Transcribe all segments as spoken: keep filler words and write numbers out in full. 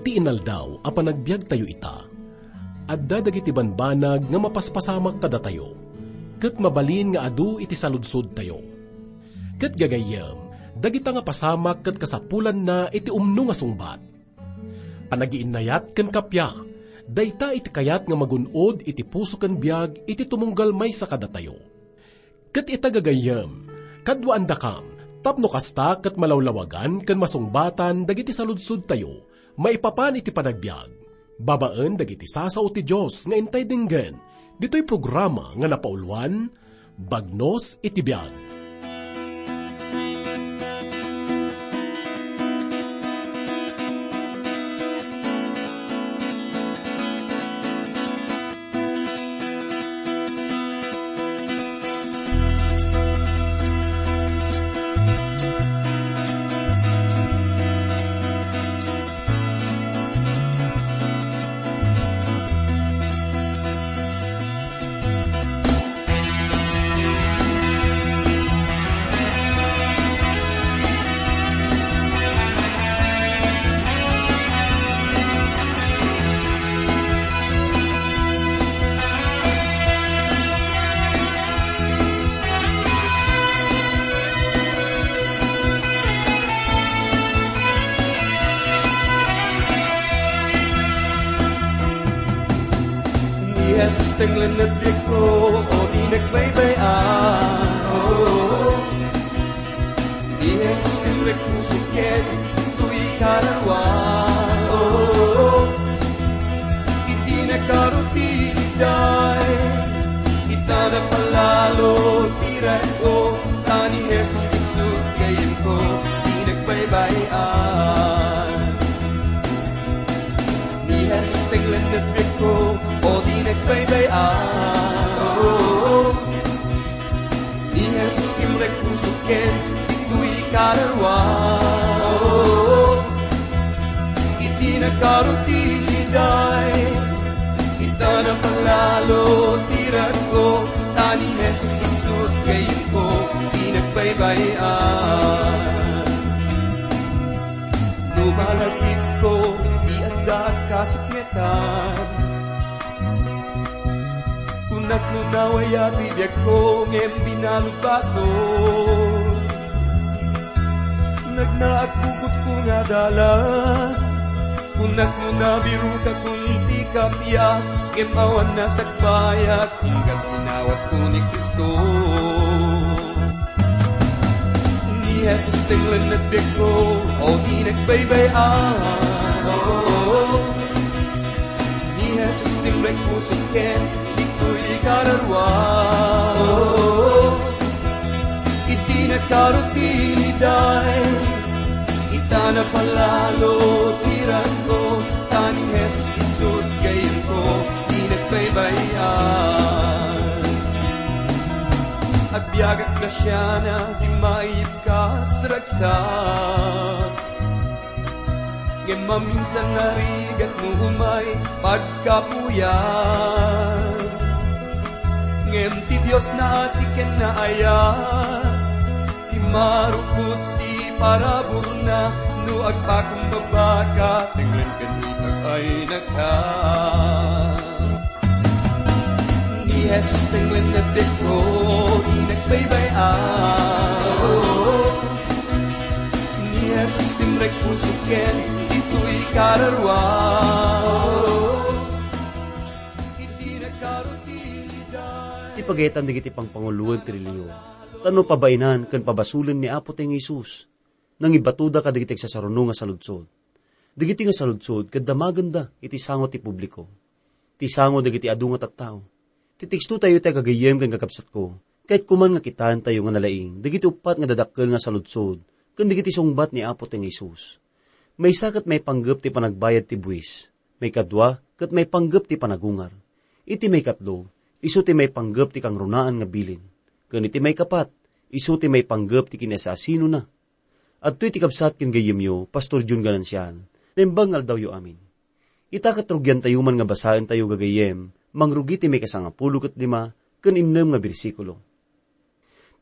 Ti inaldaw a panagbiagtayo ita, adda dagiti banbanag nga mapaspasamak kadatayo, ket mabalin nga adu iti saludsodtayo. Ket gagayyem, dagita nga pasamak ket kasapulanna iti umno nga sungbat. Panagiinnayat ken kappia, dayta iti kayat nga magun-od iti puso ken biag iti tumunggal maysa kadatayo. Ket ita gagayyem, kaduaandakam, tapno kasta ket malawlawagan ken masungbatan dagiti saludsodtayo maipapan iti panagbiag, babaen dagiti sasao ti Dios nga intay denggen, ditoy programa nga napauluan, Bagnos iti Biag. Ni Jesus tenglen ti biagko, o di nagbaybay-an. Oh, ni Jesus simrek pusok ken ditoy kararua. Oh, iti nakaro ti liday, ita napalalo ti rag-o, ta ni Jesus isu ti gayyemko, di nagbaybay-an. Ni Jesus tenglen ti biagko, o di nagbaybay-an. Oh, ni Jesus simrek pusok ken ditoy kararua. Oh, iti nakaro ti liday, ita napalalo ti rag-o, ta ni Jesus isu ti gayyemko, di nagbaybay-an. No malagipko ti adda a kasipngetan, kunak no nawaya ti biagko ngem binalud basol. Nagnaag bukotko nga dalan, kunak no nabirokakon ti kappia, ngem awan nasagbayak, inggan inawatko ni Cristo. Ni Jesus tenglen ti biagko, o di nagbaybay-an. Oh, ni Jesus simrek pusok ken ditoy kararua. Oh, iti nakaro ti liday, ita napalalo ti rag-o, ta ni Jesus isu ti gayyemko, di nagbaybay-an. Agbiagak grasiana, di maipkas ragsak. Ngem maminsan narigat no umay pagkapuyan. Ngem ti Dios naasi ken naayat, ti marukot ti paraburna, no agpakumbabaka, tenglen ken itag ay nagka. Ni Jesus tenglen ti biagko, di nagbaybay-an. Ni Jesus simrek pusok ken ditoy kararua. Iti nagkarutilidan. Ti pagayatan dagiti pangpanguloen ti relihiyon, tapno pabaenan ken pabasolen ni Apo Dios nga Jesus, nangibatoda kadagiti agsasaruno nga saludsod. Dagiti nga saludsod ket damagenda iti sango ti publiko, ti sango dagiti adu nga tattao. Ti tekstotayo iti gagayyem ken kakabsatko, kayatko man nga kitaentayo nga nalaing dagiti uppat nga dadakkel nga saludsod ken dagiti sungbat ni Apo ti Jesus. Maysa ket maipanggep ti panagbayad ti buis. Maikadua ket maipanggep ti panagungar. Iti maikatlo, isu ti maipanggep ti kangrunaan nga bilin. Ken iti maikapat, isu ti maipanggep ti kinasasinona. Adtoy ti kabsat ken gayyemyo, Pastor Jun Ganancial. Naimbag nga aldawyo amin. Ita ket rugiantayo man nga basaentayo gagayyem, mangrugi ti maikasangapulo ket lima ken innem nga bersikulo.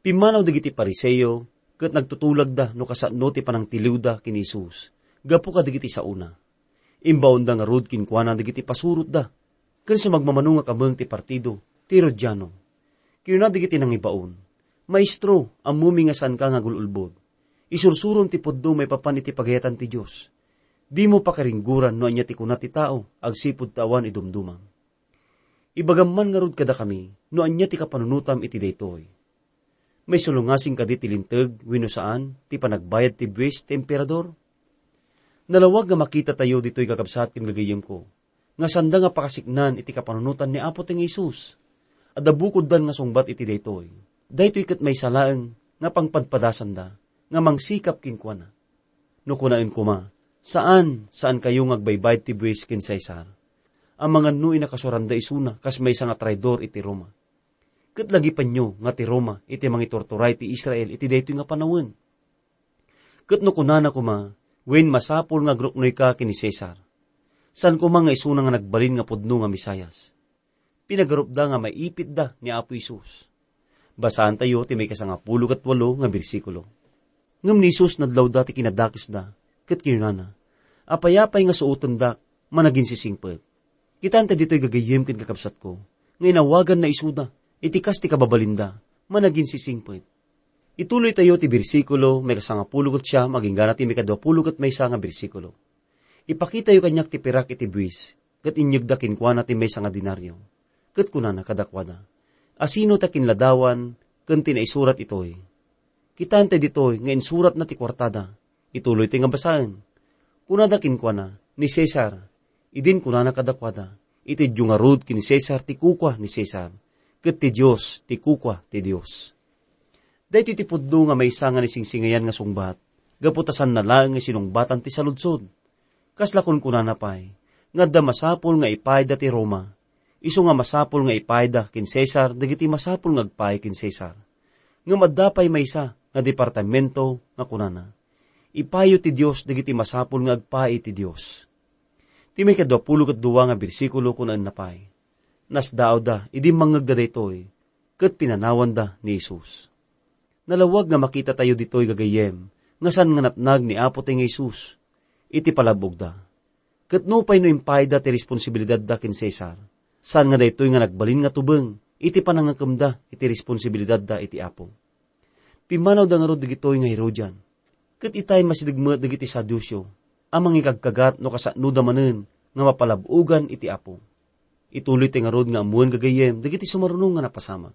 Pimmanaw dagiti Fariseo ket nagtutulagda no kasano ti panangtiliwda ken ni Jesus gapu kadagiti saona. Imbaonda ngarud kenkuana dagiti pasurotda, ken sumagmamano nga kameng ti partido ti Herodiano. Kinuna dagiti nangibaon, "Maestro, ammomi nga saanka nga agul-ulbod. Isursurom ti pudno maipapan iti pagayatan ti Dios. Dimo pakaringgoran no ania ti kuna ti tao agsipud ta awan idumdumam." Ibagam man ngarud kadakami no ania ti kapanunotam iti daytoy. Maisulongasing kadi ti linteg wenno saan ti panagbayad ti buwis ti emperador? Nalawag nga makitatayo ditoy, kakabsat ken gagayyemko, nga sanda nga pakasiknan iti kapanunotan ni Apo ti nga Jesus. Adda bukoddan nga sungbat iti daytoy. Daytoy ket maysa laeng nga pangpadpadasanda nga mangsikap kenkuana. No kunaen koma, "Saan, saankayo nga agbaybayad ti buwis ken Cesar," amangan no inakasuranda isuna kas maysa nga traidor iti Roma. Ket lagipenyo nga ti Roma iti mangiturturay ti Israel iti daytoy nga panawen. Ket no kunana koma, "Wen, masapul nga agruknoyka ken ni Cesar," saan koma nga isuna nga nagbalin nga pudno nga Mesias. Pinagarupda nga maipitda ni Apo Jesus. Basaantayo ti maikasangapulo ket walo nga bersikulo. Ngem ni Jesus nadlawda ti kinadakesda, ket kinunana, "Apay-apay nga suotendak, managinsisingpet." Kitaenta ditoy, gagayyem ken kakabsatko, nga inawaganna isuda iti kas ti kababalinda, managinsisingpet. Ituloytayo ti bersikulo maikasangapulo ket siam agingga ti maikaduapulo ket maysa nga bersikulo. Ipakitayo kaniak ti pirak iti buis, ket inyegda kenkuana ti maysa nga denario. Ket kunana kadakuada, "Asino ti kinladawan ken ti naisurat itoy?" Kitaenta ditoy nga insuratna ti kuartada. Ituloytayo nga basaen. Kunada kenkuana, "Ni Cesar." Idin kunana kadakuada, "Itedyo ngarud ken Cesar ti kukua ni Cesar, ket ti Dios ti kukua ti Dios." Daytoy ti pudno nga maysa nga naisingsingayan nga sungbat, gapu ta saanna laeng nga sinungbatan ti saludsod. Kasla kunkunana pay, nga adda masapul nga ipayda ti Roma, isu nga masapul nga ipayda ken Cesar dagiti masapul nga agpay ken Cesar. Ngem adda pay maysa nga departamento nga kunana, "Ipayo ti Dios dagiti masapul nga agpay iti Dios." Ti maikaduapulo ket dua nga bersikulo kunaenna pay, "Nasdaawda idi mangngegda daytoy, ket pinanawanda ni Jesus." Nalawag nga makitatayo ditoy, gagayyem, nga saan nga natnag ni Apo ti nga Jesus iti palab-ogda. Ket nupay no impayda ti responsibilidadda ken Cesar, saan nga daytoy nga nagbalin nga tubeng iti panangngekemda iti responsibilidadda iti Apo. Pimmanawda ngarud dagitoy nga Herodian. Ket itay masideg met dagiti Saduceo a mangikagkagat no kasanoda manen nga mapalab-ogan iti Apo. Ituloytayo ngarud nga ammoen, gagayyem, dagiti sumaruno nga napasamak.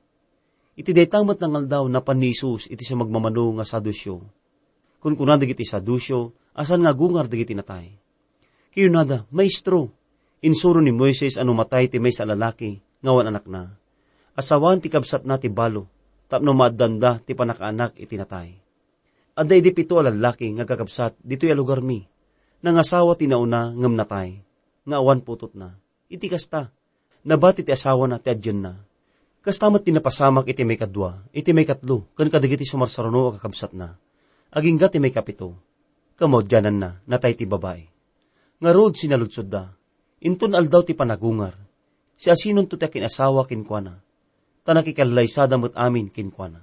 Iti dayta met nga aldaw, napan ni Jesus iti sumagmamano nga Saduceo. Kunkuna dagiti Saduceo a saan nga agungar dagiti natay. Kinunada, "Maestro, insuro ni Moises a no matay ti maysa a lalaki nga awan anakna, asawaan ti kabsatna ti balo tapno maaddanda ti pannakaanak iti natay. Adda idi pito a lallaki nga agkakabsat ditoy a lugarmi. Nangasawa ti nauna ngem natay, nga awan putotna. Iti kasta, nabati ti asawana ti adienna. Kasta met ti napasamak iti maikadua, iti maikatlo, ken kadagiti sumarsaruno a kakabsatna. Agingga ti maikapito, kamaudiananna, natay ti babai. Ngarud, sinaludsodda, inton aldaw ti panagungar, siasinonto ti akin-asawa kenkuana? Ta nakikallaysada met amin kenkuana."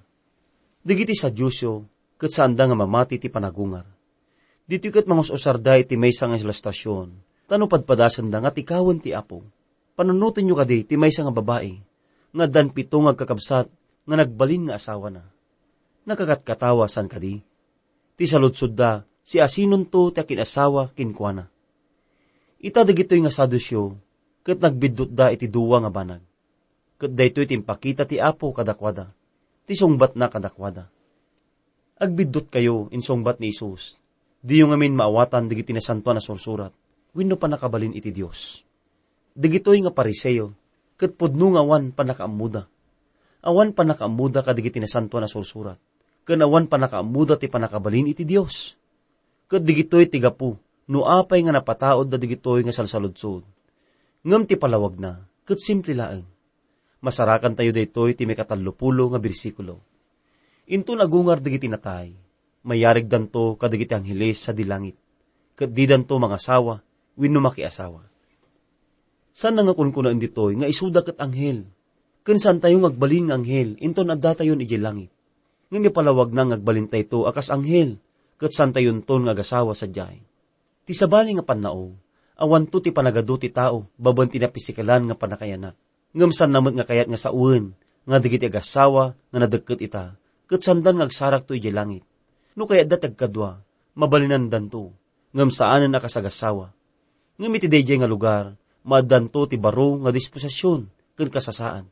Dagiti Saduceo ket saanda nga mamati ti panagungar. Ditoy ket mangus-usarda iti maysa nga ilustrasion, ta no padpadasenda nga tikawen ti Apo. Panunotenyo kadi ti maysa nga babai nga addan pito nga agkakabsat nga nagbalin nga asawana. Nakakatkatawa, saan kadi? Ti saludsodda, siasinonto ti akin-asawa kenkuana? Ita dagitoy nga Saduceo ket nagbiddutda iti dua nga banag. Ket daytoy ti impakita ti Apo kadakuada, ti sungbatna kadakuada. "Agbiddutkayo," insungbat ni Jesus. "Diyo ngamin maawatan dagiti Nasantoan a Sursurat wenno pannakabalin iti Dios." Dagitoy nga Fariseo ket pudno nga awan pannakaammoda. Awan pannakaammoda kadagiti Nasantoan a Sursurat, ken awan pannakaammoda ti pannakabalin iti Dios. Ket dagitoy ti gapu no apay nga napataudda dagitoy nga salsaludsod. Ngem ti palawagna ket simple laeng. Masarakantayo daytoy ti maikatallopulo nga bersikulo. Inton agungar dagiti natay, mayarigdanto kadagiti angheles sadi langit, ket didanto mangasawa wenno makiasawa. Saan nga kunkunaen ditoy nga isuda ket anghel, ken saantayo nga agbalin nga anghel inton addatayon idiay langit. Ngem ipalawagna nga agbalintayto a kas anghel, ket saantayonton nga agasawa sadiay. Ti sabali nga pannao, Awanto ti panagadu ti tao babaen ti napisikalan nga pannakaiyanak. Ngem saanna met nga kayat nga sawen nga dagiti agassawa nga nadekket ita, ket saandan nga agsarakto idiay langit. No kayatda ti agkadua, mabalinandanto, ngem saanen a kas agassawa. Ngem iti daydiay nga lugar, maaddanto ti baro nga disposision ken kasasaad.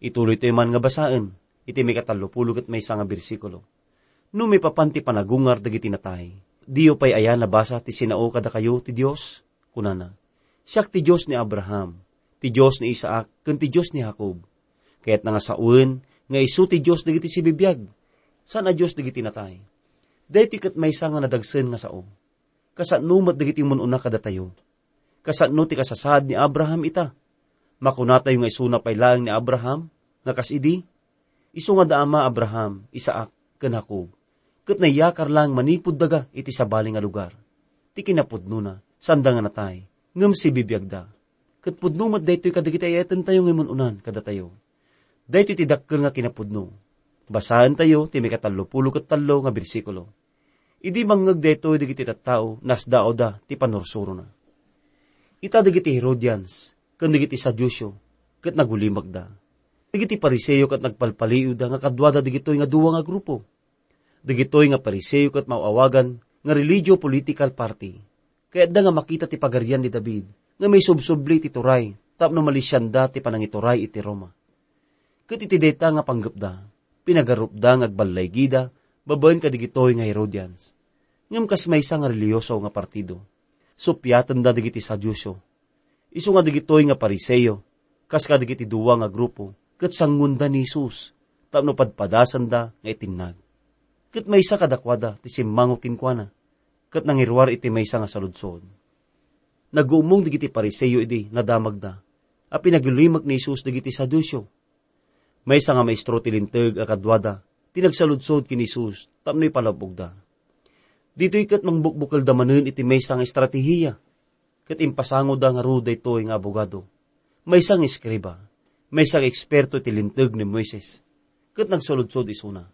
Ituloytayo man nga basaen iti maikatallopulo ket maysa nga bersikulo. No maipapan ti panagungar dagiti natay, diyo pay aya nabasa ti sinao kadakayo ti Dios? Kunana, "Siak ti Dios ni Abraham, ti Dios ni Isaac, ken ti Dios ni Jacob." Kayatna nga sawen nga isu ti Dios dagiti sibibiag, saan a Dios dagiti natay. Daytoy ket maysa nga nadagsen nga sao. Kasano met dagiti umun-una kadatayo? Kasano ti kasasaad ni Abraham ita? Makunatayo nga isuna pay laeng ni Abraham nga kas idi? Isu nga da ama Abraham, Isaac, ken Jacob, ket naiyakar laeng manipud daga iti sabali nga lugar. Ti kinapudnona, saanda nga natay, ngem sibibiagda. Ket pudno met daytoy kadagiti ay-ayatentayo nga immun-unan kadatayo. Daytoy ti dakkel nga kinapudno. Basaentayo ti maikatallopulo ket tallo nga bersikulo. Idi mangngeg daytoy dagiti tattao, nasdaawda ti pannursurona. Ita dagiti Herodians ken dagiti Saduceo ket nagulimekda. Dagiti Fariseo ket nagpalpaliiwda nga kaduada dagitoy nga dua nga grupo. Dagitoy nga Fariseo ket maaw-awagan nga religio-political party. Kayatda nga makita ti Pagarian ni David nga maisubsubli iti turay tapno malisianda ti panangituray iti Roma. Ket iti dayta nga panggepda, pinagarupda nga agballaygida babaen kadagitoy nga Herodians. Ngem kas maysa nga relihioso nga partido, suppiatenda dagiti Saduceo. Isu nga dagitoy nga Fariseo, kas kadagiti dua nga grupo, ket sangonda ni Jesus tapno padpadasanda nga itinnag. Ket maysa kadakuada ti simmango kenkuana, ket nangiruar iti maysa nga saludsod. Naguummong dagiti Fariseo idi nadamagda a pinagulimek ni Jesus dagiti Saduceo. Maysa nga maestro ti Linteg a kaduada ti nagsaludsod ken ni Jesus tapno ipalab-ogda. Ditoy ket mangbukbukelda manen iti maysa nga estratehiya, ket impasangoda ngarud daytoy nga abogado, maysa nga eskriba, maysa nga eksperto iti Linteg ni Moises, ket nagsaludsod isuna.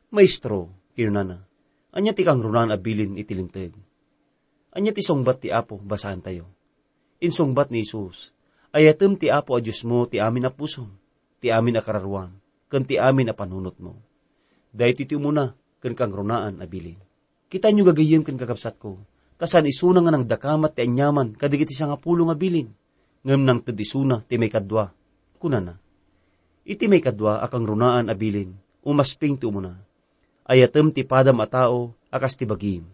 "Maestro," kinunana, "ania ti kangrunaan a bilin iti Linteg? Ania ti sungbat ti Apo basaentayo?" Insungbat ni Jesus, "Ayatem ti Apo a Diosmo ti amin a pusom, ti amin a kararuam, ken ti amin a panunotmo. Daytoy ti umuna ken kangrunaan a bilin." Kitaenyo, gagayyem ken kakabsatko, ta saan isuna nga nangdakamat ti aniaman kadagiti sangapulo nga bilin, ngem nangted isuna ti maikadua. Kunana, "Iti maikadua a kangrunaan a bilin, umasping ti umuna. Ayatem ti padam a tao a kas ti bagim."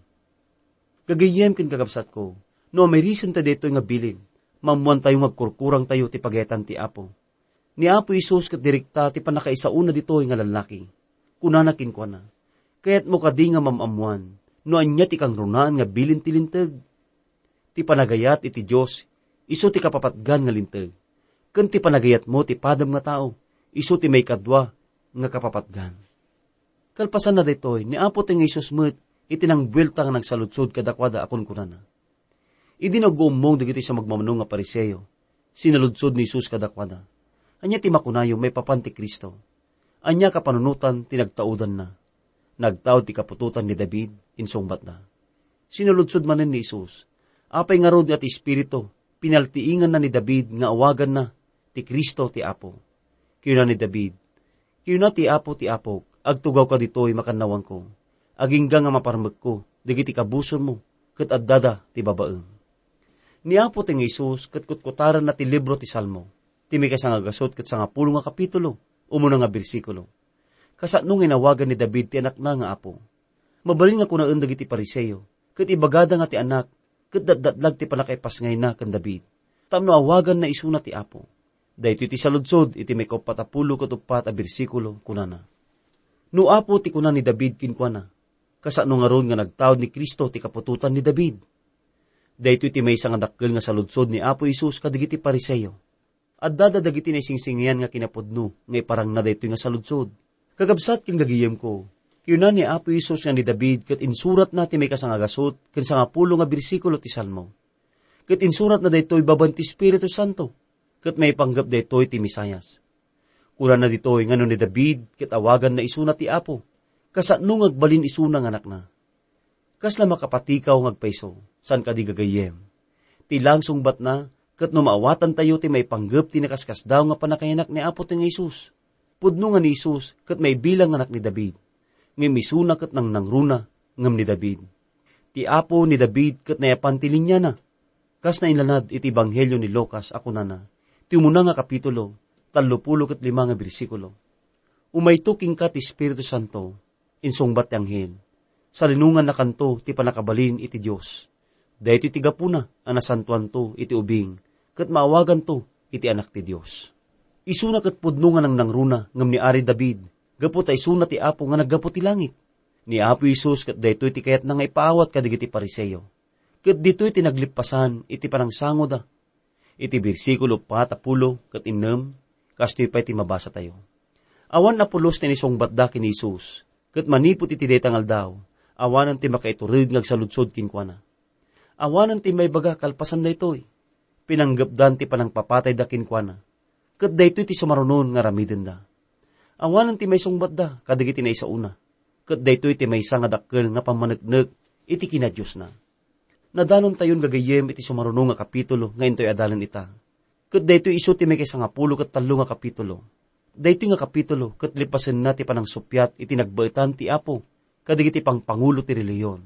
Gagayyem ken kakabsatko, no amirisenta daytoy nga bilin, maammoantayo nga agkurkurangtayo ti pagayatan ti Apo. Ni Apo Jesus ket direkta ti pannakaisaona ditoy nga lallaki. Kunana kenkuana, "Kayatmo kadi nga maam-ammoan no ania ti kangrunaan nga bilin ti Linteg? Ti panagayat iti Dios, isu ti kapapatgan nga Linteg, ken ti panagayatmo ti padam nga tao, isu ti maikadua nga kapapatgan." Kalpasanna daytoy, ni Apo ti nga Jesus met iti nangbuelta nga nagsaludsod kadakuada a kunkunana. Idi nagguummong dagiti sumagmamano nga Fariseo, sinaludsod ni Jesus kadakuada, "Ania ti makunayo maipapan ti Cristo? Ania a kapanunotan ti nagtaudanna? Nagtaud ti kaputotan ni David," insungbatda. Sinaludsod manen ni Jesus, "Apay ngarud nga ti Espiritu pinaltiinganna ni David nga awaganna ti Cristo ti Apo? Kinuna ni David, kinuna ti Apo ti Apok, 'Agtugawka ditoy makannawanko, agingga nga maparmekko dagiti kabusonmo ket addada ti babaem.'" Ni Apo ti nga Jesus ket kutkutaranna ti libro ti Salmo, ti maikasangagasut ket sangapulo nga kapitulo, umuna nga bersikulo. Kasano nga inawagan ni David ti anakna nga Apo? Mabalin nga kunaen dagiti Fariseo, ket ibagada nga ti anak ket datdatlag ti pannakaipasngayna ken David, tapno awaganna isuna ti Apo. Daytoy ti saludsod iti maikauppat a pulo ket uppat a bersikulo, kunana, "No Apo ti kuna ni David kenkuana, kasano ngarud nga nagtaud ni Cristo ti kaputotan ni David?" Daytoy ti maysa nga dakkel nga saludsod ni Apo Jesus kadagiti Fariseo. Addada dagiti naisingsingayan nga kinapudno nga iparangna daytoy nga saludsod. Kakabsat ken gagayemko, kinuna ni Apo Jesus nga ni David ket insuratna ti maikasangagasut ken sangapulo nga bersikulo ti Salmo. Ket insuratna daytoy babaen ti Espiritu Santo, ket maipanggep daytoy ti Mesias. Kunana ditoy nga no ni David ket awaganna isuna ti Apo, kasano nga agbalin isuna nga anakna? Kasla makapatikaw nga agpayso, saan kadi gagayyem? Ti laeng sungbatna, ket no maawatantayo ti maipanggep ti nakaskasdaaw nga pannakayanak ni Apo ti nga Jesus. Pudno nga ni Jesus ket maibilang nga anak ni David, ngem isuna ket nangnangruna ngem ni David. Ti Apo ni David ket nayapan ti liniana. Kas naillanad iti Ebanghelio ni Lucas a kunana, ti umuna nga kapitulo, tallopulo ket lima nga bersikulo. Umayto kenka ti Espiritu Santo, insungbat ti anghel. Salinongannakanto ti pannakabalin iti Dios. Daytoy ti gapuna a nasantoanto iti ubing, ket maawaganto iti Anak ti Dios. Isuna ket pudno nga nangnangruna ngem ni Ari David, gapu ta isuna ti Apo nga naggapu ti langit. Ni Apo Jesus ket daytoy ti kayatna nga ipaawat kadagiti Fariseo. Ket ditoy ti naglippasan iti panangsangoda. Iti bersikulo pat a pulo ket innem, kastoy pay ti mabasatayo. Awan a pulos ti naisungbatda ken ni Jesus, ket manipud iti dayta nga aldaw, awanen ti makaiturod nga agsaludsod kenkuana. Awanen ti maibaga kalpasan daytoy. Pinanggepdan ti panangpapatayda kenkuana, ket daytoy ti sumarunon nga aramidenda. Awanen ti maisungbatda kadagiti naisaona, ket daytoy ti maysa nga dakkel nga pammaneknek iti kinadiosna. Nadanontayon gagayyem iti sumaruno nga kapitulo nga intoy adalan ita. Ket daytoy isu ti maikaisangapulo ket tallo nga kapitulo. Daytoy nga kapitulo ket lipasenna ti panangsuppiat iti nagbaetan ti Apo kadagiti pangpangulo ti relihiyon.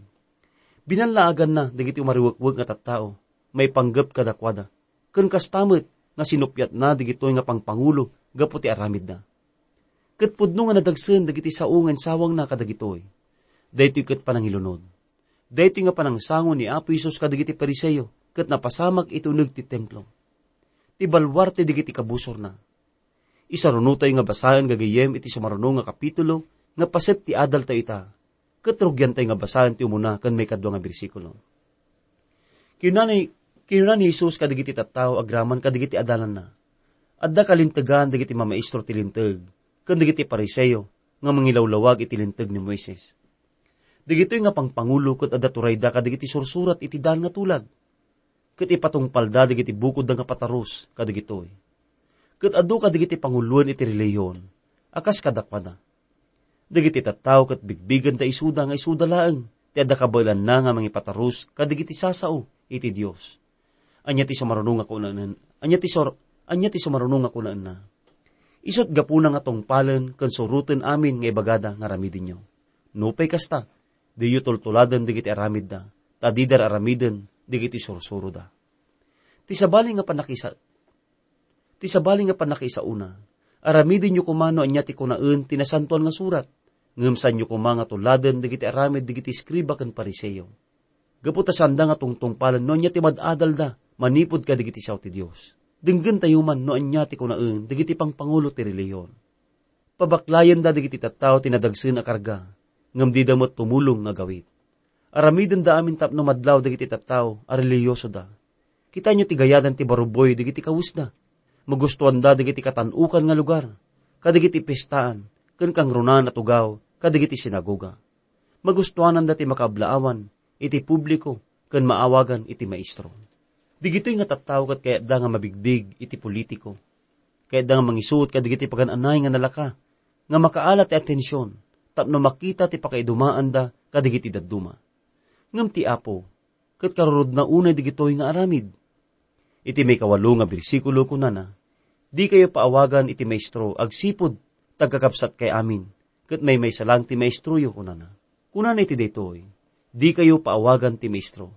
Binallaaganna dagiti umariwekwek nga tattao maipanggep kadakuada, ken kasta met nga sinuppiatna dagitoy nga pangpangulo gapu ti aramidna. Ket pudno nga nadagsen dagiti sao nga insawangna kadagitoy. Daytoy ket panangilunod. Daytoy nga panangsango ni Apo Jesus kadagiti Fariseo ket napasamak iti uneg ti Templo, ti baluarte dagiti kabusorna. Isarunotayo nga basaen gagayyem iti sumaruno nga kapitulo nga paset ti adaltayo ita, ket rugiantayo nga basaen ti umuna ken maikadua nga bersikulo. Kinuna ni, kinuna ni Jesus kadagiti tattao agraman kadagiti adalanna, "Adda kalintegan dagiti mamaestro ti Linteg ken dagiti Fariseo nga mangilawlawag iti Linteg ni Moises. Dagitoy nga pangpangulo ket adda turayda kadagiti sursurat iti daan nga tulag, ket ipatungpalda dagiti bukodda nga patarus kadagitoy. Ket adu kadagiti panguloen iti relihiyon a kas kadakuada. Dagiti tattao ket bigbigenda isuda nga isuda laeng ti adda kabaelanna nga mangipatarus kadagiti sasao iti Dios." Ania ti sumaruno nga kunaen? Ania ti sur-, ania ti sumaruno nga kunaenna? Isut' gapuna nga tungpalen ken suroten amin nga ibagada nga aramidenyo. Nupay kasta, diyo tultuladen dagiti aramidda, ta dida aramiden dagiti sursuroda. Ti sabali nga pannakisa-, ti sabali nga pannakaisauna, aramidenyo koma no ania ti kunaen ti Nasantoan nga Surat, ngem saanyo koma nga tuladen dagiti aramid dagiti eskriba ken Fariseo. Gapu ta saanda nga tungtungpalen no ania ti mad-adalda manipud kadagiti sao ti Dios. Denggentayo man no ania ti kunaen dagiti pangpangulo ti relihiyon. Pabaklayenda dagiti tattao ti nadagsen a karga, ngem dida met tumulong nga agawid. Aramidenda amin tapno madlaw dagiti tattao a relihiyosoda. Kitaenyo ti gayadan ti baruboy dagiti kawesda. Magustuanda dagiti katan-okan nga lugar, kadagiti pistaan, ken kangrunaan a tugaw, kadagiti sinagoga. Magustuananda ti makaablaawan iti publiko ken maawagan iti maestro. Digitoy nga tattao ket kayatda nga mabigbig iti politiko. Kayatda nga mangisuot kadagiti pagan-anay nga nalaka, nga makaala ti atension, tapno makita ti pakaidumaanda kadagiti dadduma. Ngem ti Apo, ket karurudna unay digitoy nga aramid. Iti maikawalo nga bersikulo, kunana, "Dikayo paawagan iti Maestro agsipud ta agkakabsatkay amin, ket maymaysa lang ti maestroyo," kunana. Kunana iti daytoy, "Dikayo paawagan ti Maestro."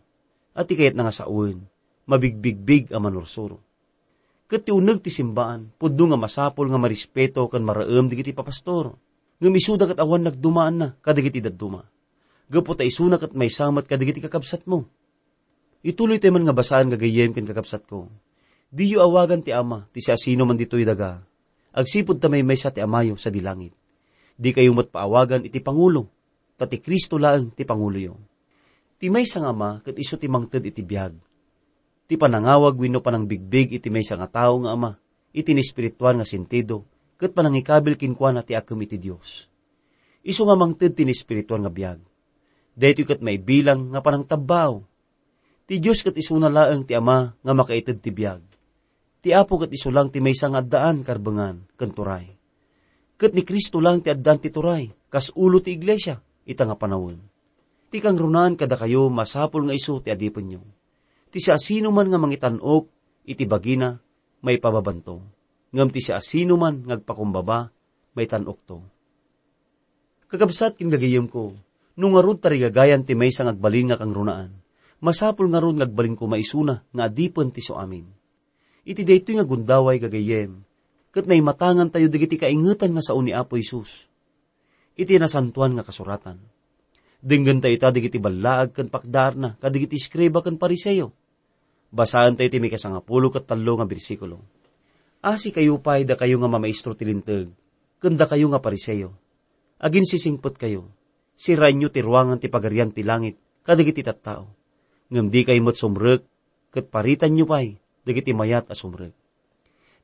A ti kayatna nga sawen, mabigbigbig a manursuro. Ket ti uneg ti simbaan, pudno nga masapul nga marespeto ken maraem dagiti papastor. Ngem isuda ket awan nagdumaanna kadagiti dadduma. Gapu ta isuna ket maysa met kadagiti kakabsatmo. Ituloytayo man nga basaen gagayyem ken kakabsatko. Diyo awagan ti Ama ti siasinoman ditoy daga, agsipud ta maymaysa ti Amayo sadi langit. Dikayo met paawagan iti pangulo, ta ti Cristo laeng ti panguloyo. Ti maysa nga Ama ket isu ti mangted iti biag. Ti panangawag wenno panangbigbig iti maysa nga tao nga ama, iti naespirituan nga sentido, ket panangikabil kenkuana ti akem iti Dios. Isu nga mangted ti naespirituan nga biag. Daytoy ket maibilang nga panangtabbaaw. Ti Dios ket isuna laeng ti Ama nga makaited ti biag. Ti Apo ket isu lang ti maysa nga addaan, karbengan, ken turay. Ket ni Cristo lang ti addaan ti turay, kas ulo ti iglesia, ita nga panawen. Ti kangrunaan kadakayo, masapul nga isu ti adipenyo. Ti siasinoman nga mangitan-ok iti bagina, maipababanto. Ngem ti siasinoman nga agpakumbaba, maitan-okto. Kakabsat ken gagayyemko, no ngarud tarigagayan ti maysa nga agbalin nga kangrunaan, masapul ngarud nga agbalinko maisuna nga adipen ti suamin. Iti daytoy nga gundaway, gagayyem, ket maimatangantayo dagiti kaingetan nga sao ni Apo Jesus. Iti Nasantoan nga Kasuratan, denggentayo ita dagiti ballaag ken pakdaarna kadigiti eskriba ken Fariseo. Basaentayo ti mikasangapulo ket tallo nga bersikulo. Asikayo pay, dakayo nga mamaestro ti Linteg, ken dakayo nga Fariseo. Aginsisingpetkayo. Siraenyo ti ruangan ti Pagarian ti Langit kadagiti tattao. Ngem dikayo met sumrek, ket paritanyo pay dagiti mayat a sumrek.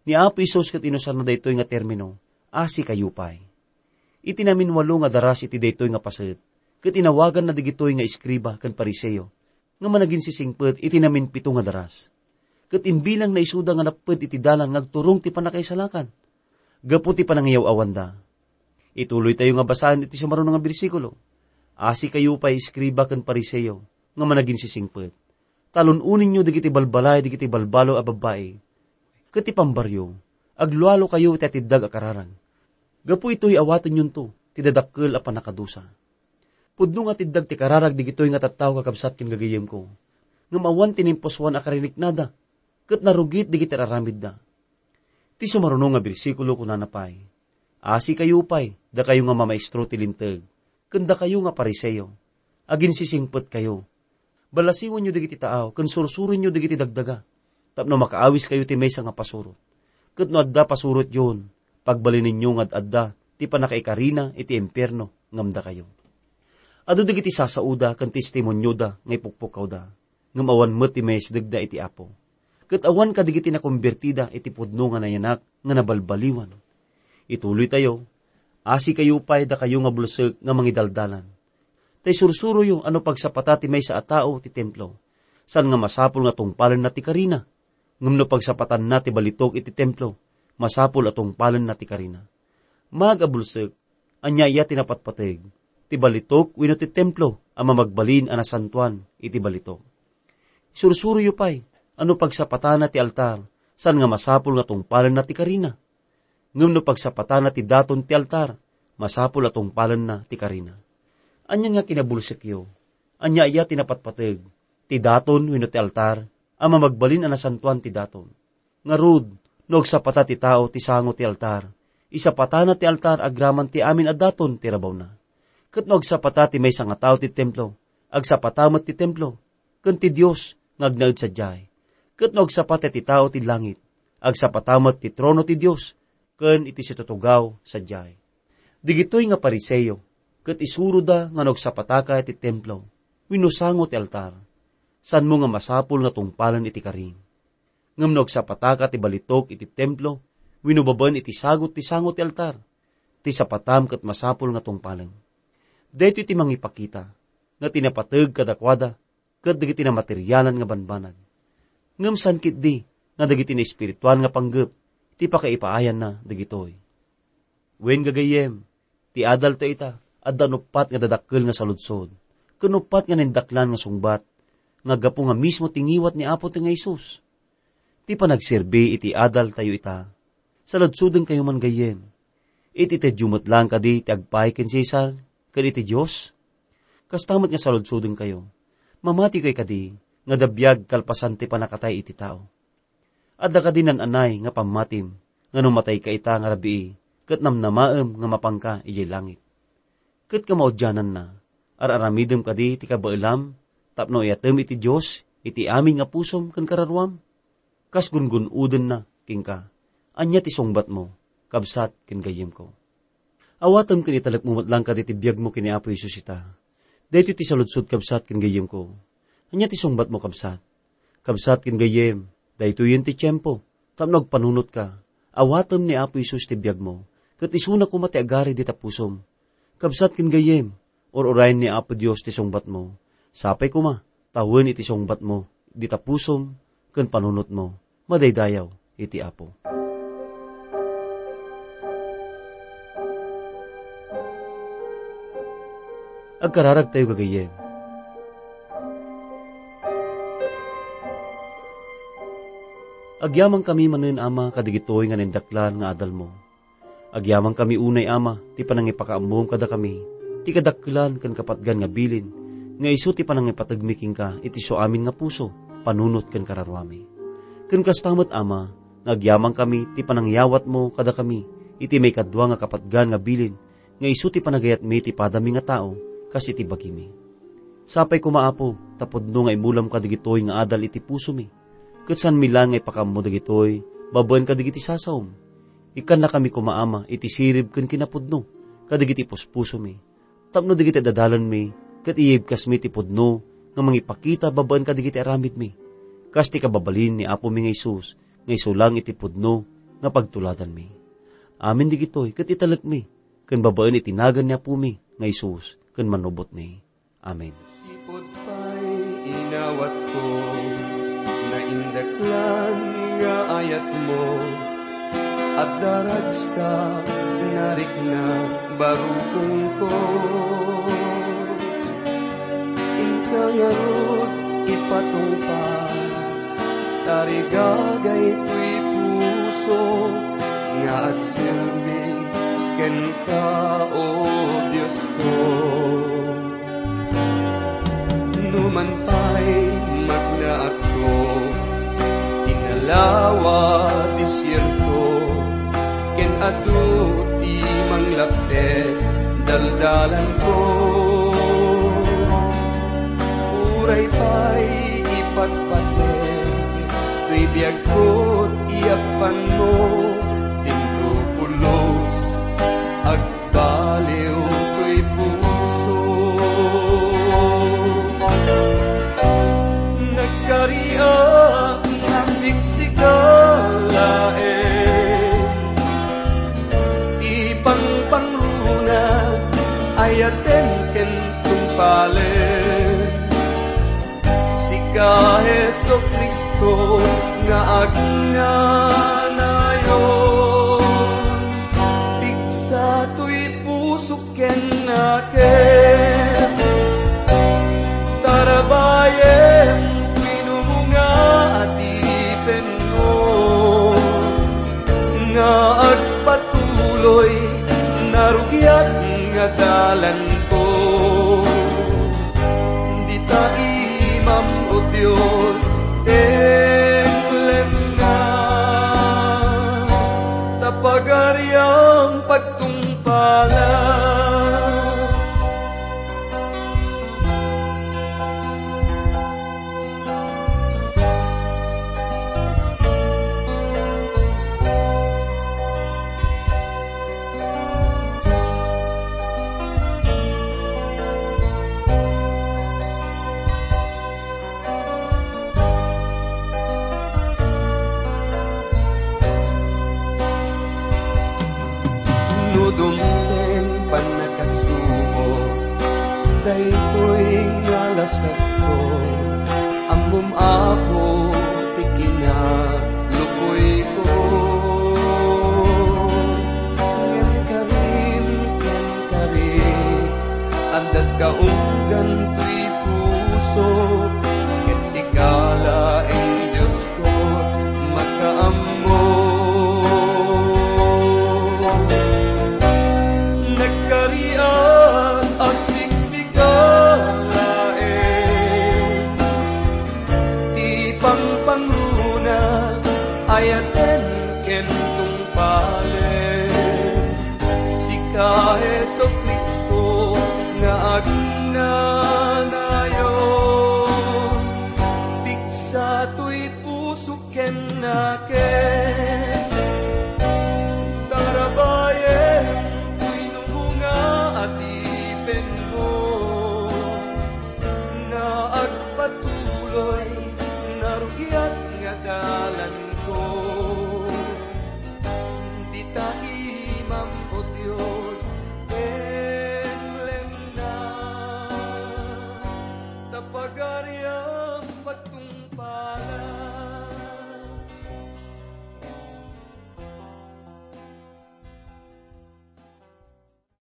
Ni Apo Jesus ket inusanna daytoy nga termino, "Asikayo pay." Iti naminwalo nga daras iti daytoy nga paset, ket inawaganna dagitoy nga eskriba ken Fariseo nga managinsisingpet iti namimpito nga daras. Ket imbilangna isuda nga napped iti dalan nga agturong ti pannakaisalakan gapu ti panangiyaw-awanda. Ituloytayo nga basaen iti sumaruno nga bersikulo. Asikayo pay, eskriba ken Fariseo nga managinsisingpet. Talun-oninyo dagiti balbalay dagiti balbalo a babbai, ket ti pambaryo, aglualukayo iti atiddag a kararag. Gapu itoy, awatenyonto ti dadakkel a pannakadusa. Pudno nga atiddag ti kararag dagitoy nga tattao, kakabsat ken gagayyemko, ngem awan ti naimpusoan a kariniknada, ket narugit dagiti ar-aramidda. Ti sumaruno nga bersikulo kunana pay, "Asikayo pay, dakayo nga mamaestro ti Linteg, ken dakayo nga Fariseo, aginsisingpetkayo. Balasiwenyo dagiti taaw ken sursuroenyo dagiti dagdaga, tapno makaawiskayo ti maysa nga pasurot. Ket no adda pasurotyon, pagbalinenyo nga ad-adda ti pannakaikarina iti impierno ngem dakayo. Adu dagiti sasaoda ken testimonioda nga ipukpukawda, ngem awan met ti maisdegda iti Apo. Ket awan kadagiti nakombertida iti pudno nga nayanak nga nabalbaliwan." Ituloytayo, "Asikayo pay, dakayo nga bulsek nga mangidaldalan. Tay sursuroyo a no pagsapata ti maysa a tao ti templo, saan nga masapul nga tungpalenna ti karina. Ngem no pagsapatanna ti balitok iti templo, masapul a tungpalenna ti karina. Maag a bulsek, ania aya ti napatpateg, ti balitok wenno ti templo a mamagbalin a nasantoan iti balitok? Sursuroyo pay a no pagsapatana ti altar, saan nga masapul nga tungpalenna ti karina. Ngem no pagsapatana ti daton ti altar, masapul a tungpalenna ti karina. Anian nga kinabulsekyo? Ania aya ti napatpateg, ti daton wenno ti altar a mamagbalin a nasantoan ti daton? Ngarud, no agsapata ti tao ti sango ti altar, isapatana ti altar agraman ti amin a daton ti rabawna. Ket no agsapata ti maysa nga tao ti templo, agsapata met ti templo, ken ti Dios nga agnaed sadiay. Ket no agsapata ti tao ti langit, agsapata met ti trono ti Dios ken iti situtugaw sadiay." Digitoy nga Fariseo ket isuroda nga no agsapataka iti templo wenno sango ti altar, saanmo nga masapul nga tungpalen iti karim. Ngem no agsapataka ti balitok iti templo wenno babaen iti sagut ti sango ti altar, ti sapatam ket masapul nga tungpalen. Daytoy ti mangipakita nga ti napateg kadakuada ket dagiti namaterialan nga banbanag. Ngem saan ketdi nga dagiti naespirituan nga panggep ti pakaipaayanna dagitoy. Wen, gagayyem, ti adalta ita, adda nuppat nga dadakkel nga saludsod, ken nuppat nga naindaklan nga sungbat, nga gapu nga mismo ti ngiwat ni Apo ti nga Jesus. Ti panagserbi iti adaltayo ita, saludsodenkayo man gayyem. Iti tedyo met laeng kadi ti agpaay ken Cesar ken iti Dios? Kasta met nga saludsodenkayo, mamatikayo kadi nga adda biag kalpasan ti pannakatay iti tao? Adda kadi naan-anay nga pammatim nga no matayka ita nga rabii ket namnamaem nga mapanka idiay langit? Ket kamaudiananna, ar-aramidem kadi ti kabaelam tapno iyatem iti Dios iti amin nga pusom ken kararuam? Kas gungun-odenna kenka, ania ti sungbatmo, kabsat ken gayyemko? Awatem ken italekmo met laeng kadi ti biagmo ken ni Apo Jesus ita. Daytoy ti saludsod, kabsat ken gayyemko. Ania ti sungbatmo, kabsat? Kabsat ken gayyem, daytoyen ti tiempo tapno agpanunotka. Awatem ni Apo Jesus ti biagmo, ket isuna koma ti agari dita pusom. Kabsat ken gayyem, ur-urayen ni Apo Dios ti sungbatmo. Sapay koma, tawen iti sungbatmo dita pusom ken panunotmo, madaydayaw iti Apo. Agkararagtayo, gagayyem. Agyamankami manen, Ama, kadagitoy nga naindaklan nga adalmo. Agyamankami unay, Ama, ti panangipakaammom kadakami, ti kadakkelan ken kapatgan nga bilin, nga isu ti panangipategmi kenka iti suamin nga puso, panunot ken kararuami. Ken kasta met, Ama, nga agyamankami ti panangyawatmo kadakami iti maikadua nga kapatgan nga bilin, nga isu ti panagayatmi ti padami nga tao, kas iti bagimi. Sapay koma, Apo, ta pudno nga imulam kadagitoy nga adal iti pusomi, ket saanmi laeng nga ipakaammo dagitoy babaen kadagiti sasaom. Ikkannakami koma, Ama, iti sirib ken kinapudno kadagiti puspusomi, tapno dagiti dadalanmi ket iyibkasmi ti pudno nga mangipakita babaen kadagiti aramidmi, kas ti kababalin ni Apomi nga Jesus nga isu laeng iti pudno nga pagtuladanmi. Amin dagitoy ket italekmi ken babaen iti nagan ni Apomi nga Jesus ken Manubotmi. Amen. Sipud pay inawatko, naindaklan nga ayatmo, adda ragsak, narikna, barukongko. Inka ngarud ipatungpal, tarigagay toy puso nga agserbi kenka, O Diosko. Numan pay magnaatko, tinalawa, desierto, ken adu ti manglaptek daldalanko. Uray pay ipatpatek toy biagko ti yappanmo, timpo pulos, ag- baliw toy puso. Nagkariak nga siksika laeng ti pangpangruna, ayaten ken tungpalen. Sika, Jesu-Cristo, nga agnanayon, pigsa toy pusok ken nakem, tarabayem toy numo nga adipenmo, nga agpatuloy narugiat nga dalanko. Dita imam, O Dios, tenglenna, ta pagariam pagtungpalam. No dumteng pannakasubo, daytoy nga lasakko, ammom, Apo, ti kinalukoyko. Ngem karim ken karim, addatka unggan toy puso, ket sika laeng, Dios, makaammo. Nagkariak a siksika laeng ti pangpangruna, ayaten ken tungpalen. Sika, Jesu-Cristo, nga agna